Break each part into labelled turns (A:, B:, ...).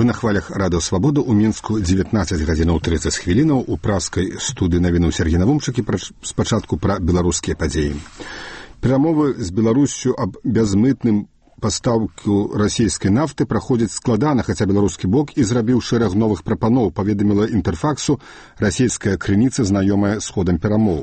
A: Вы на хвалях Радыё Свабода ў Мінску 19:30 у праскай студыі навіну Сергей Навумчык і спачатку пра беларускія падзеі. Перамовы з Беларуссю аб бязмытным пастаўку расійскай нафты праходзяць складана, хаця беларускі бок і зрабіў шэраг новых прапаноў, паведаміла Інтэрфаксу расійская крыніца, знаёмая з ходам перамоў.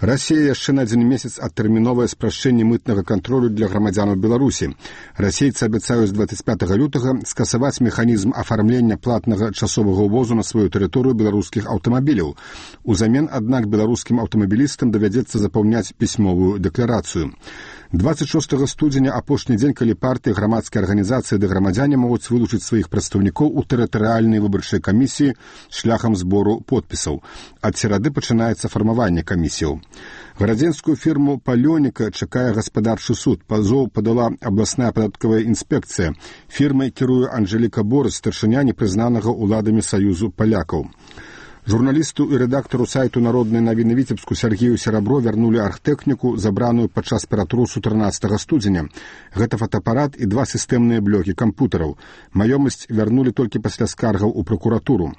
A: Расія яшчэ на 1 месяц адтэрміновае спрашчэнне мытнага кантролю для грамадзянаў Беларусі. Расейцы абяцаюць 25 лютага скасаваць механізм афармлення платнага часовага ўвозу на сваю тэрыторыю беларускіх аўтамабіляў. Узамен, аднак, беларускім аўтамабілістам давядзецца запаўняць пісьмовую дэкларацыю. 26 студзеня, апошні дзень, калі партыі, грамадскія арганізацыі ды грамадзяне могуць вылучыць сваіх прадстаўнікоў у тэрытарыяльнай выбарчай камісіі шляхам збору подпісаў. Ад серады пачынаецца фармаванне камісіяў. Гарадзенскую фірму «Палёніка» чакае гаспадарчы суд. Пазоў падала абласная падаткавая інспекцыя. Фірмай кіруе Анжэліка Борыс, старшыня непрызнанага ўладамі Саюзу палякаў. Журналісту і рэдактару сайту «Народнай навіны Віцебску» Сергею Серабро вярнулі архтэхніку, забраную падчас ператрусу 13 студзеня. Гэта фотоапарат і 2 сістэмныя блокі кампутараў. Маёмасць вярнулі толькі пасля скаргаў у пракуратуру.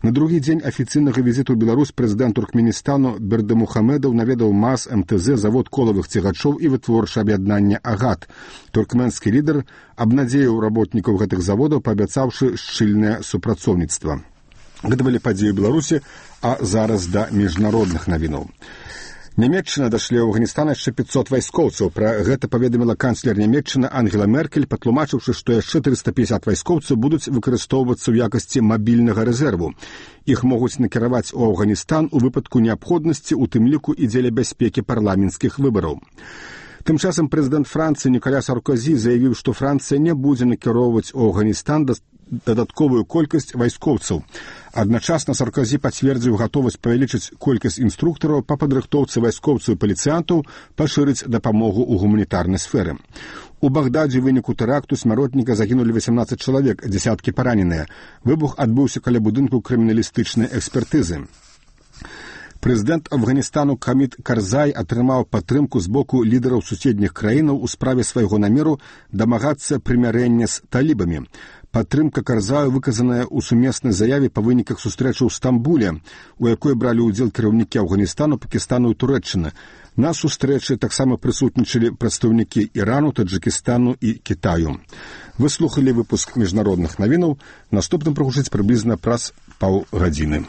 A: На другі дзень афіцыйнага візіту ў Беларусь прэзідэнт Туркменістану Бердымухамедаў наведаў МАЗ, МТЗ, завод колавых цягачоў і вытворчае аб'яднанне «Агат». Туркменскі лідар абнадзеяў работнікаў гэтых заводаў, паабяцаўшы шчыльнае супрацоўніцтва. Гэта былі падзеі Беларусі, а зараз да міжнародных навінаў. Нямецчына дашлі ў Афганістан яшчэ 500 вайскоўцаў. Пра гэта паведаміла канцлер Нямецчыны Ангела Меркель, патлумачыўшы, што яшчэ 350 вайскоўцаў будуць выкарыстоўвацца ў якасці мабільнага рэзерву. Іх могуць накіраваць у Афганістан у выпадку неабходнасці, у тым ліку і дзеля бяспекі парламенцкіх выбараў. Тым часам прэзідэнт Францыі Ніколя Саркозі заявіў, што Францыя не будзе накіроўваць у Афганістан дадатковую колькасць вайскоўцаў. Адначасна Саркозі пацвердзіў гатовасць павялічыць колькасць інструктараў па падрыхтоўцы вайскоўцаў і паліцыянтаў, пашырыць дапамогу ў гуманітарнай сферы. У Багдадзе ў выніку тэракту смяротніка загінулі 18 чалавек, дзясяткі параненыя. Выбух адбыўся каля будынку крыміналістычнай экспертызы. Прэзідэнт Афганістану Хамід Карзай атрымаў падтрымку з боку лідараў суседніх краінаў у справе свайго намеру дамагацца прымірэння з талібамі. Падтрымка Карзаю выказаная ў сумеснай заяве па выніках сустрэчы ў Стамбуле, у якой бралі ўдзел кіраўнікі Афганістану, Пакістану і Турэччыны. На сустрэчы таксама прысутнічалі прадстаўнікі Ірану, Таджыкістану і Кітаю. Вы слухалі выпуск міжнародных навінаў. Наступным прагучыць прыблізна праз паўгадзіны.